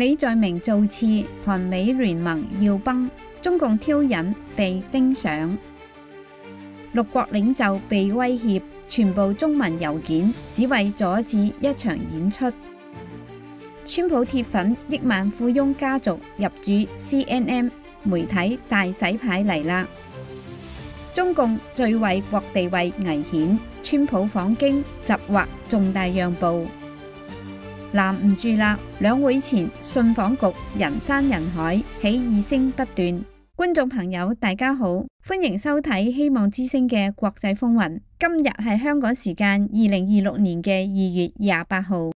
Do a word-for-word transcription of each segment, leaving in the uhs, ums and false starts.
李在明造次，韓美聯盟要崩，中共挑釁被盯上，六國領袖被威脅，全部中文郵件，只為阻止一場演出。川普鐵粉億萬富翁家族入主 C N N 媒體大洗牌嚟啦！中共最惠國地位危險，川普訪京疾劃重大讓步。攔唔住啦！兩會前信訪局人山人海，起義聲不斷。觀眾朋友大家好，歡迎收睇希望之聲嘅國際風雲。今日係香港時間二零二六年嘅二月廿八號。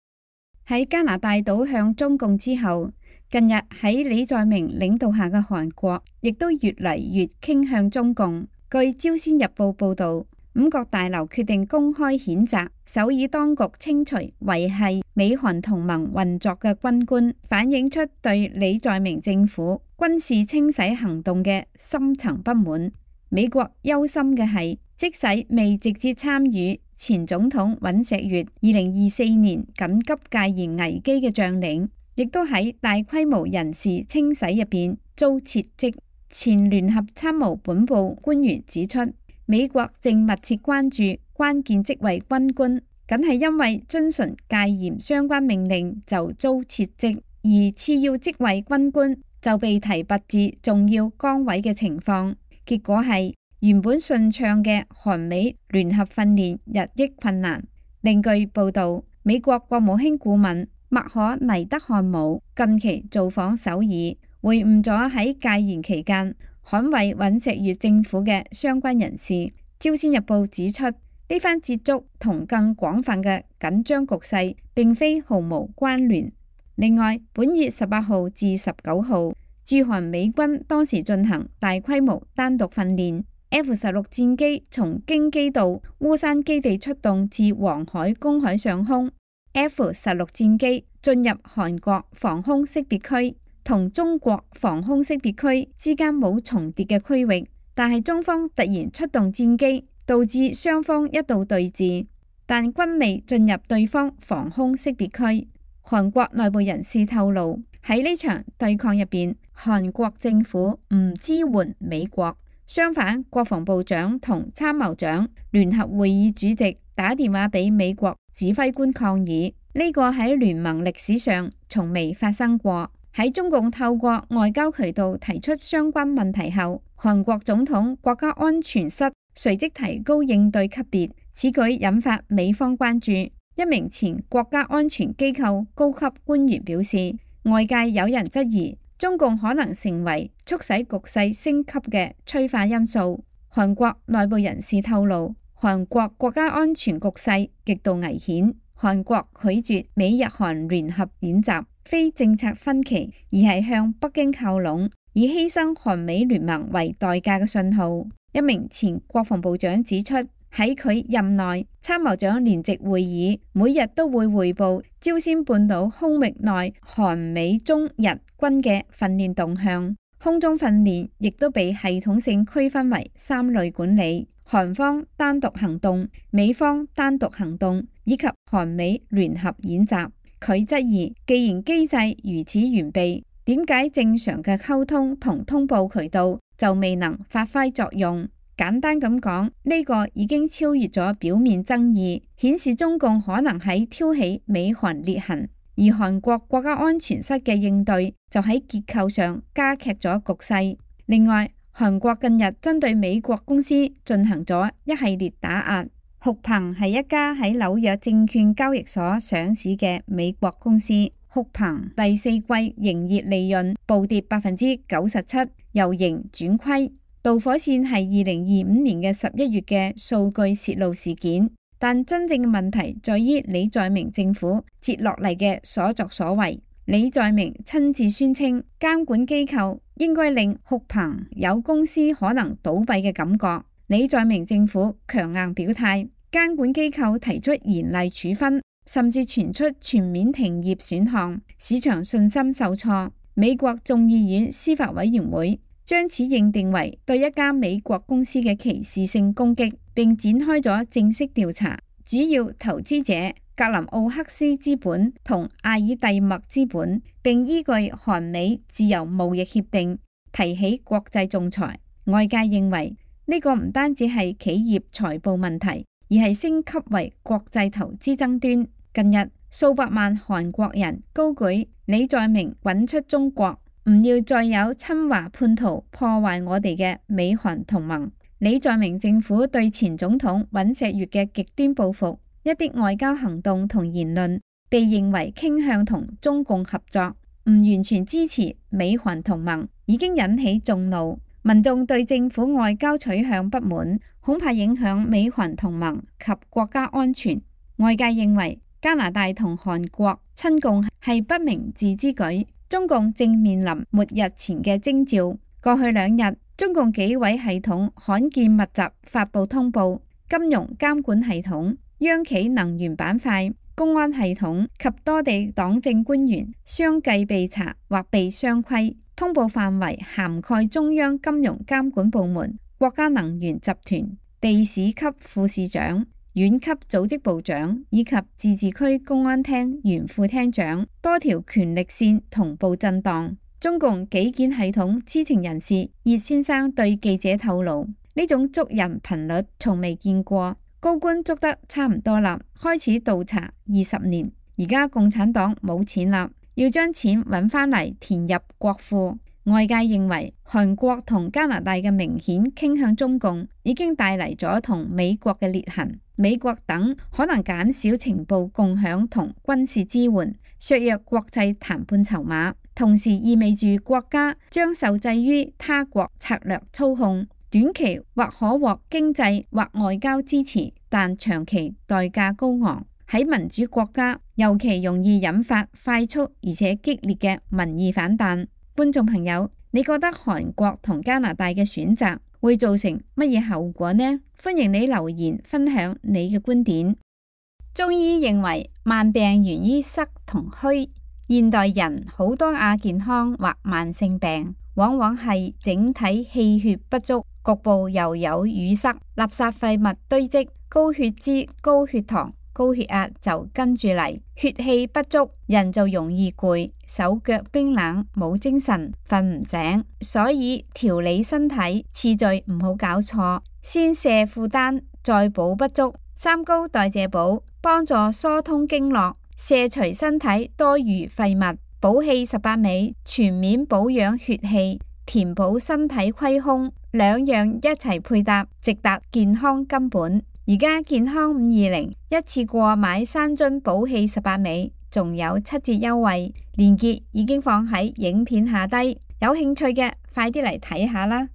喺加拿大倒向中共之後，近日喺李在明領導下嘅韓國亦都越嚟越傾向中共。據朝鮮日報報道，五角大樓決定公開譴責首爾當局清除維繫美韓同盟運作嘅軍官，反映出對李在明政府軍事清洗行動嘅深層不滿。美國憂心嘅係，即使未直接參與前總統尹錫悅二零二四年緊急戒嚴危機嘅將領，亦都喺大規模人事清洗入邊遭撤職。前聯合參謀本部官員指出，美國正密切關注關鍵職位軍官，僅係因為遵循戒嚴相關命令就遭撤職，而次要職位軍官就被提拔至重要崗位嘅情況。結果係原本順暢嘅韓美聯合訓練日益困難。另據報道，美國國務卿顧問麥可尼德漢姆近期造訪首爾，會晤咗喺戒嚴期間捍衛尹錫悅政府嘅相關人士。朝鮮日報指出，呢番接觸同更廣泛嘅緊張局勢並非毫無關聯。另外，本月十八號至十九號，駐韓美軍當時進行大規模單獨訓練。F 十六戰機從京畿道烏山基地出動至黃海公海上空。F 十六戰機進入韓國防空識別區同中國防空識別區之間冇重疊嘅區域，但係中方突然出動戰機，導致雙方一度對峙，但均未進入對方防空識別區。韓國內部人士透露，喺呢場對抗入邊，韓國政府唔支援美國，相反，國防部長同參謀長聯合會議主席打電話俾美國指揮官抗議，呢個喺聯盟歷史上從未發生過。喺中共透過外交渠道提出相關問題後，韓國總統國家安全室隨即提高應對級別，此舉引發美方關注。一名前國家安全機構高級官員表示，外界有人質疑中共可能成為促使局勢升級嘅催化因素。韓國內部人士透露，韓國國家安全局勢極度危險，韓國拒絕美日韓聯合演習，非政策分歧，而係向北京靠攏，以犧牲韓美聯盟為代價嘅信號。一名前國防部長指出，喺佢任內，參謀長聯席會議每日都會匯報朝鮮半島空域內韓美中日軍嘅訓練動向，空中訓練亦都被系統性區分為三類管理：韓方單獨行動、美方單獨行動以及韓美聯合演習。佢質疑，既然機制如此完備，點解正常嘅溝通同通報渠道就未能發揮作用？簡單咁講，呢個已經超越咗表面爭議，顯示中共可能喺挑起美韓裂痕，而韓國國家安全室嘅應對就喺結構上加劇咗局勢。另外，韓國近日針對美國公司進行咗一系列打壓。酷鵬係一家喺紐約證券交易所上市嘅美國公司。酷鵬第四季營業利潤暴跌百分之九十七，由盈轉虧。導火線係二零二五年嘅十一月嘅數據洩露事件，但真正嘅問題在於李在明政府接落嚟嘅所作所為。李在明親自宣稱，監管機構應該令酷鵬有公司可能倒閉嘅感覺。李在明政府強硬表態，監管機構提出嚴厲處分，甚至傳出全面停業選項，市場信心受挫。美國眾議院司法委員會將此認定為對一家美國公司嘅歧視性攻擊，並展開咗正式調查。主要投資者格林奧克斯資本同阿爾蒂默資本，並依據韓美自由貿易協定提起國際仲裁。外界認為呢個唔單止係企業財報問題，而係升級為國際投資爭端。近日，數百萬韓國人高舉李在明滾出中國，唔要再有親華叛徒破壞我哋嘅美韓同盟。李在明政府對前總統尹錫悅嘅極端報復，一啲外交行動同言論被認為傾向同中共合作，唔完全支持美韓同盟，已經引起眾怒。民眾對政府外交取向不滿，恐怕影響美韓同盟及國家安全。外界認為加拿大同韓國親共係不明智之舉。中共正面臨末日前嘅徵兆。過去兩日，中共紀委系統罕見密集發布通報，金融監管系統、央企能源板塊、公安系統及多地黨政官員相繼被查或被雙規。通報範圍涵蓋中央金融監管部門、國家能源集團、地市級副市長、縣級組織部長以及自治區公安廳原副廳長，多條權力線同步震盪。中共紀檢系統知情人士葉先生對記者透露，呢種捉人頻率從未見過，高官捉得差唔多啦，開始倒查二十年，而家共產黨冇錢啦，要將錢揾返嚟填入國庫。外界認為韓國同加拿大嘅明顯傾向中共，已經帶嚟咗同美國嘅裂痕。美國等可能減少情報共享同軍事支援，削弱國際談判籌碼，同時意味住國家將受制於他國策略操控，短期或可獲經濟或外交支持，但長期代價高昂。喺民主國家尤其容易引發快速而且激烈嘅民意反彈。觀眾朋友，你覺得韓國同加拿大嘅選擇會造成乜嘢後果呢？歡迎你留言分享你嘅觀點。中醫認為慢病源於濕同虛，現代人好多亞健康或慢性病，往往係整體氣血不足，局部又有淤塞，垃圾廢物堆積，高血脂、高血糖、高血壓就跟住嚟，血氣不足，人就容易攰，手腳冰冷，冇精神，瞓唔醒。所以調理身體次序唔好搞錯，先瀉負擔，再補不足。三高代謝補幫助疏通經絡，瀉除身體多餘廢物。補氣十八味全面保養血氣，填補身體虧空，兩樣一齊配搭，直達健康根本。而家健康五二零一次過買三樽補氣十八味，仲有七折優惠，鏈接已經放喺影片下低，有興趣嘅快啲嚟睇下啦。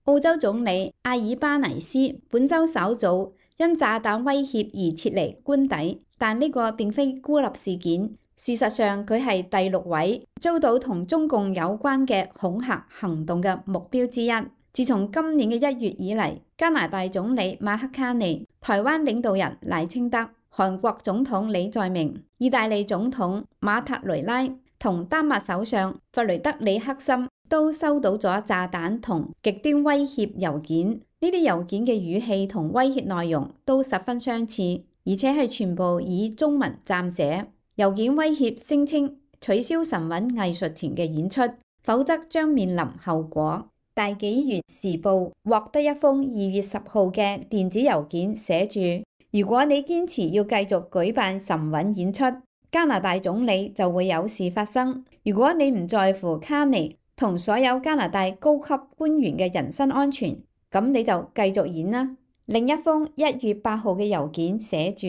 澳洲總理阿爾巴尼斯本周稍早因炸彈威脅而撤離官邸，但呢個並非孤立事件。事實上，佢係第六位遭到同中共有關嘅恐嚇行動嘅目標之一。自從今年嘅一月以嚟，加拿大總理馬克卡尼、台灣領導人賴清德、韓國總統李在明、意大利總統馬特雷拉同丹麥首相弗雷德里克森都收到咗炸彈同極端威脅郵件。呢啲郵件嘅語氣同威脅內容都十分相似，而且係全部以中文撰寫。郵件威脅聲稱取消神韻藝術團嘅演出，否則將面臨後果。大紀元時報獲得一封二月十號嘅電子郵件，寫住：如果你堅持要繼續舉辦神韻演出，加拿大總理就會有事發生。如果你唔在乎卡尼同所有加拿大高級官員嘅人身安全，咁你就繼續演啦。另一封一月八號嘅郵件寫住：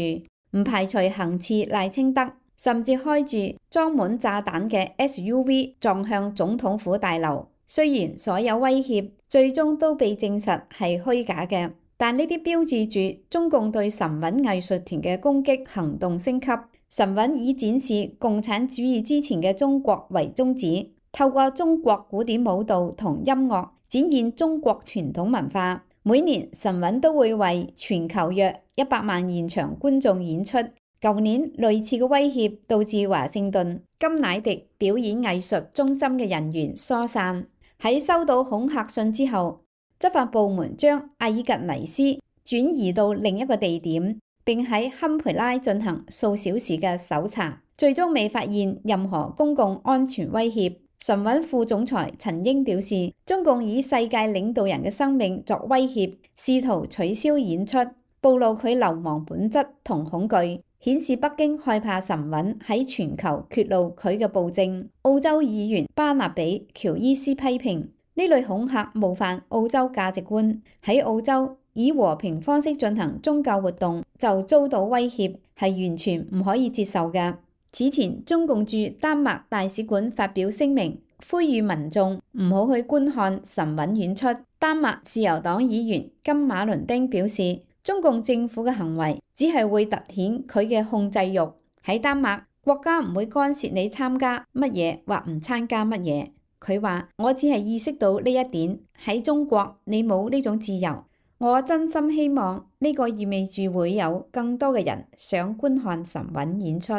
唔排除行刺賴清德，甚至開住裝滿炸彈嘅 S U V 撞向總統府大樓。雖然所有威脅最終都被證實係虛假嘅，但呢啲標誌住中共對神韻藝術團嘅攻擊行動升級。神韻以展示共產主義之前嘅中國為宗旨，透過中國古典舞蹈同音樂展現中國傳統文化。每年神韻都會為全球約一百萬現場觀眾演出。舊年類似嘅威脅導致華盛頓金乃迪表演藝術中心嘅人員疏散。喺收到恐嚇信之後，執法部門將阿爾格尼斯轉移到另一個地點，並喺堪培拉進行數小時嘅搜查，最終未發現任何公共安全威脅。神韻副總裁陳英表示，中共以世界領導人嘅生命作威脅，試圖取消演出，暴露佢流氓本質同恐懼，顯示北京害怕神韻喺全球揭露佢嘅暴政。澳洲議員巴納比喬伊斯批評呢類恐嚇冒犯澳洲價值觀，喺澳洲以和平方式進行宗教活動就遭到威脅，係完全唔可以接受嘅。此前，中共駐丹麥大使館發表聲明，呼籲民眾唔好去觀看神韻演出。丹麥自由黨議員金馬倫丁表示，中共政府嘅行為只係會凸顯佢嘅控制欲。喺丹麥，國家唔會干涉你參加乜嘢或唔參加乜嘢。佢話：我只係意識到呢一點，喺中國你冇呢種自由。我真心希望呢個意味住會有更多嘅人想觀看神韻演出。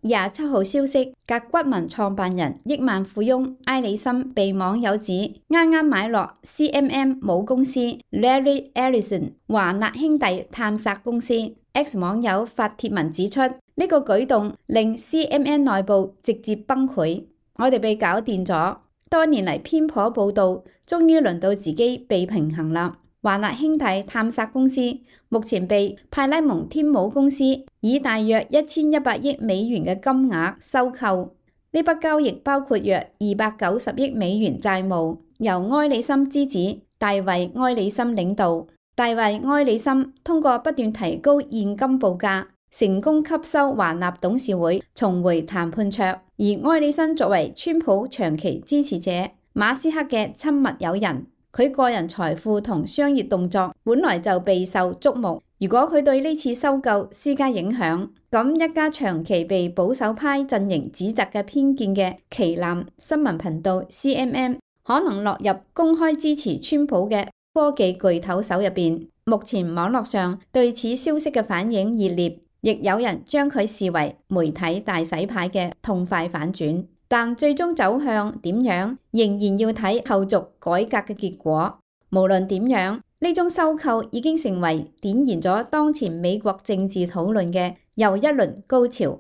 廿七號消息，甲骨文創辦人億萬富翁埃里森被網友指啱啱買落 C M M 母公司 Larry Ellison 華納兄弟探索公司。X 網友發帖文指出，呢、這個舉動令 C M M 內部直接崩潰。我哋被搞掂咗，多年嚟偏頗報導，終於輪到自己被平衡啦。華納兄弟探索公司目前被派拉蒙天母公司以大約一千一百億美元嘅金額收購。呢筆交易包括約二百九十億美元債務，由埃里森之子大衛埃里森領導。大衛埃里森通過不斷提高現金報價，成功吸收華納董事會，重回談判桌。而埃里森作為川普長期支持者，馬斯克嘅親密友人，佢個人財富同商業動作本來就備受矚目。如果佢對呢次收購施加影響，咁一家長期被保守派陣營指責嘅偏見嘅旗艦新聞頻道 C M M 可能落入公開支持川普嘅科技巨頭手入邊。目前網絡上對此消息嘅反應熱烈，亦有人將佢視為媒體大洗牌嘅痛快反轉。但最終走向點樣，仍然要睇後續改革嘅結果。無論點樣，呢種收購已經成為點燃咗當前美國政治討論嘅又一輪高潮。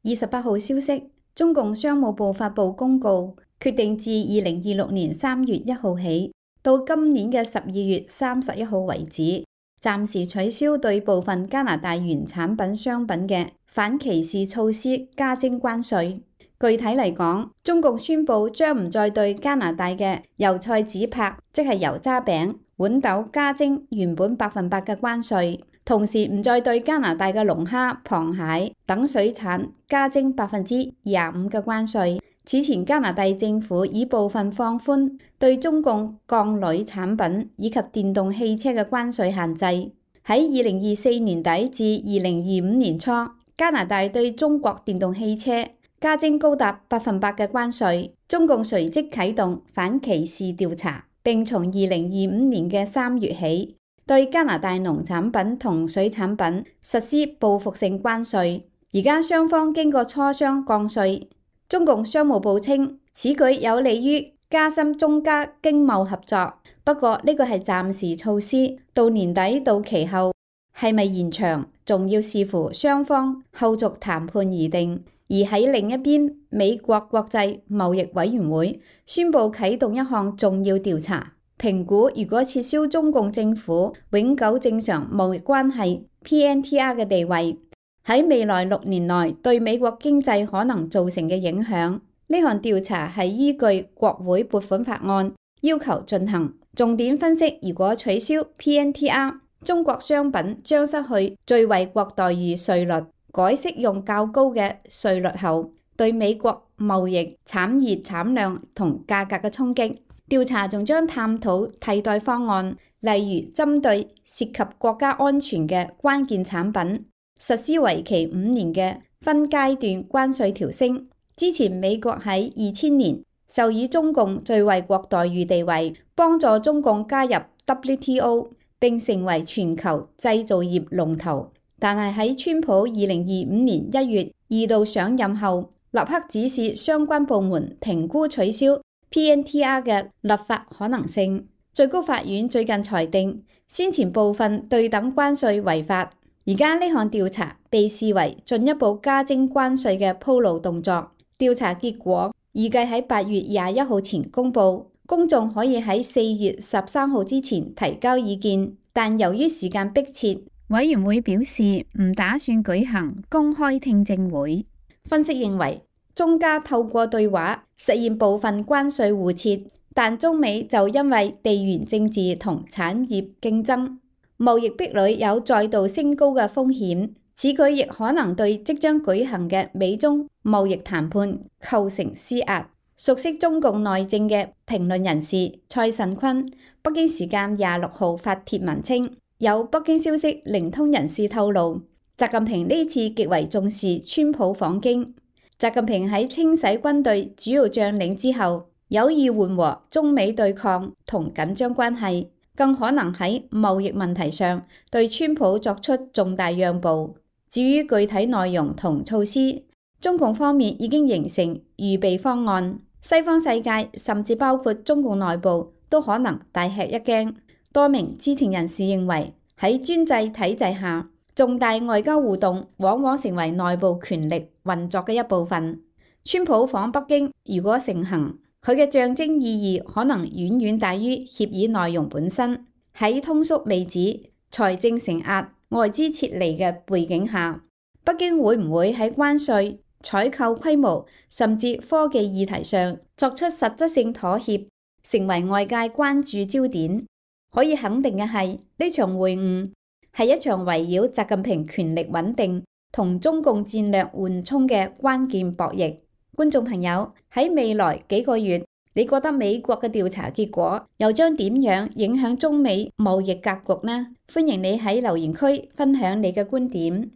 二十八號消息，中共商務部發布公告，決定自二零二六年三月一號起到今年嘅十二月三十一號為止，暫時取消對部分加拿大原產品商品嘅反歧視措施加徵關稅。具體嚟講，中共宣布將唔再對加拿大嘅油菜紙柏，即係油渣餅、豌豆加徵原本百分百嘅關稅，同時唔再對加拿大嘅龍蝦、螃蟹等水產加徵百分之廿五嘅關稅。此前加拿大政府已部分放寬對中共鋼鋁產品以及電動汽車嘅關稅限制。喺二零二四年底至二零二五年初，加拿大對中國電動汽車加徵高達百分百嘅關稅。中共隨即啟動反歧視調查，並從二零二五年嘅三月起，對加拿大農產品同水產品實施報復性關稅。而家雙方經過磋商降稅。中共商務部稱，此舉有利於加深中加經貿合作。不過呢個係暫時措施，到年底到期後係咪延長，仲要視乎雙方後續談判而定。而喺另一邊，美國國際貿易委員會宣布啟動一項重要調查，評估如果撤銷中共政府永久正常貿易關係 P N T R 嘅地位，喺未來六年內對美國經濟可能造成嘅影響。呢項調查係依據國會撥款法案要求進行，重點分析如果取消 P N T R， 中國商品將失去最惠國待遇稅率，改適用較高嘅稅率後，對美國貿易、產業產量同價格嘅衝擊。調查仲將探討替代方案，例如針對涉及國家安全嘅關鍵產品，實施為期五年嘅分階段關稅調升。之前美國喺二千年授予中共最惠國待遇地位，幫助中共加入 W T O 並成為全球製造業龍頭。但係喺川普二零二五年一月二度上任後，立刻指示相關部門評估取消 P N T R 嘅立法可能性。最高法院最近裁定，先前部分對等關稅違法，而家呢項調查被視為進一步加徵關稅嘅鋪路動作。調查結果預計喺八月廿一號前公佈，公眾可以喺四月十三號之前提交意見，但由於時間迫切，委員會表示唔打算舉行公開聽證會。分析認為，中加透過對話實現部分關稅互撤，但中美就因為地緣政治同產業競爭，貿易壁壘有再度升高嘅風險。此舉亦可能對即將舉行嘅美中貿易談判構成施壓。熟悉中共內政嘅評論人士蔡慎坤，北京時間廿六號發帖文稱，有北京消息靈通人士透露，習近平呢次極為重視川普訪京。習近平喺清洗軍隊主要將領之後，有意緩和中美對抗同緊張關係，更可能喺貿易問題上對川普作出重大讓步。至於具體內容同措施，中共方面已經形成預備方案，西方世界甚至包括中共內部都可能大吃一驚。多名知情人士認為，喺專制體制下，重大外交互動往往成為內部權力運作嘅一部分。川普訪北京如果成行，佢嘅象徵意義可能遠遠大於協議內容本身。喺通縮未止、財政承壓、外資撤離嘅背景下，北京會唔會喺關稅、採購規模甚至科技議題上作出實質性妥協，成為外界關注焦點。可以肯定嘅係，呢場會晤係一場圍繞習近平權力穩定同中共戰略緩衝嘅關鍵博弈。觀眾朋友，喺未來幾個月，你覺得美國嘅調查結果又將點樣影響中美貿易格局呢？歡迎你喺留言區分享你嘅觀點。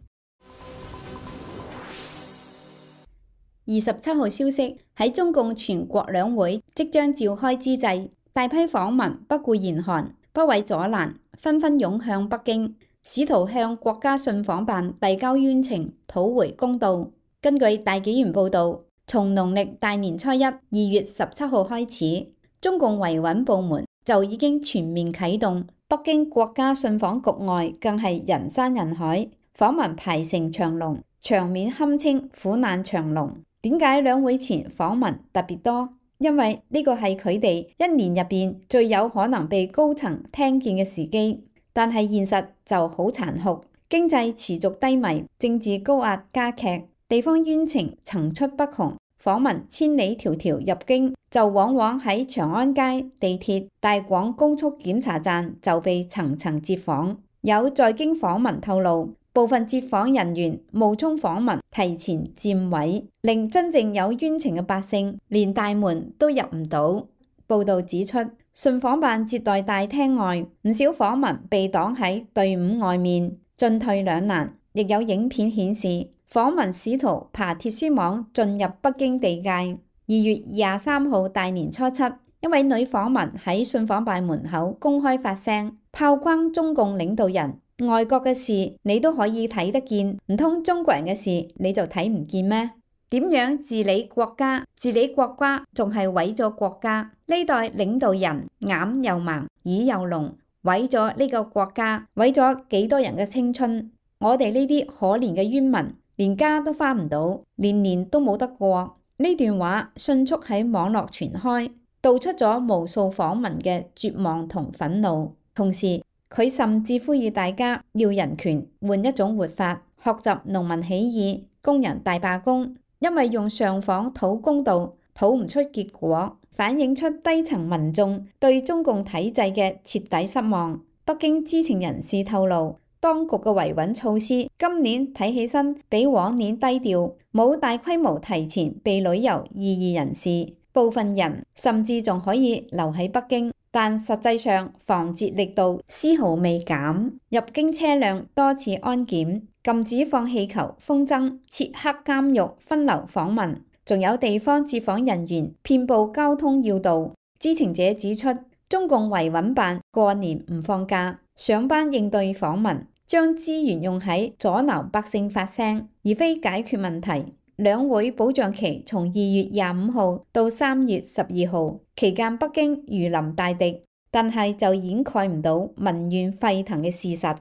二十七號消息，喺中共全國兩會即將召開之際，大批訪民不顧嚴寒，不畏阻攔，紛紛湧向北京，試圖向國家信訪辦遞交冤情，討回公道。根據大紀元報導，從農曆大年初一二月十七號開始，中共維穩部門就已經全面啟動。北京國家信訪局外更係人山人海，訪民排成長龍，場面堪稱苦難長龍。點解兩會前訪民特別多？因為呢個係佢哋一年入邊最有可能被高層聽見嘅時機。但係現實就好殘酷，經濟持續低迷，政治高壓加劇，地方冤情層出不窮。訪民千里迢迢入京，就往往喺長安街、地鐵、大廣高速檢查站就被層層接訪。有在京訪民透露，部分接訪人員冒充訪民提前佔位，令真正有冤情嘅百姓連大門都入唔到。報道指出，信訪辦接待大廳外，唔少訪民被擋喺隊伍外面，進退兩難。亦有影片顯示，訪民試圖爬鐵絲網進入北京地界。二月廿三號大年初七，一位女訪民喺信訪辦門口公開發聲，炮轟中共領導人。外國嘅事你都可以睇得見，唔通中國人嘅事你就睇唔見咩？點樣治理國家？治理國家仲係毀咗國家。呢代領導人眼又盲，耳又聾，毀咗呢個國家，毀咗幾多人嘅青春。我哋呢啲可憐嘅冤民，連家都返唔到，年年都冇得過。呢段話迅速喺網絡傳開，道出咗無數訪民嘅絕望同憤怒。同時，佢甚至呼籲大家要人權，換一種活法，學習農民起義、工人大罷工。因為用上訪討公道，討唔出結果，反映出低層民眾對中共體制嘅徹底失望。北京知情人士透露，當局嘅維穩措施今年睇起身比往年低調，冇大規模提前被旅遊異議人士，部分人甚至仲可以留喺北京，但實際上防截力度絲毫未減，入京車輛多次安檢，禁止放氣球、風箏，設黑監獄分流訪民，仲有地方接訪人員遍佈交通要道。知情者指出，中共維穩辦過年唔放假，上班應對訪民，將資源用喺阻撓百姓發聲，而非解決問題。兩會保障期從二月廿五號到三月十二號，期間北京如臨大敵，但係就掩蓋唔到民怨沸騰嘅事實。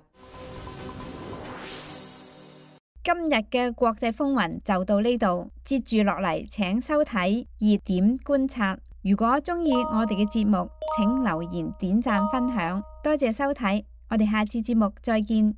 今日嘅國際風雲就到呢度，接住落嚟請收睇熱點觀察。如果鍾意我哋嘅節目，請留言、點讚、分享，多謝收睇，我哋下次節目再見。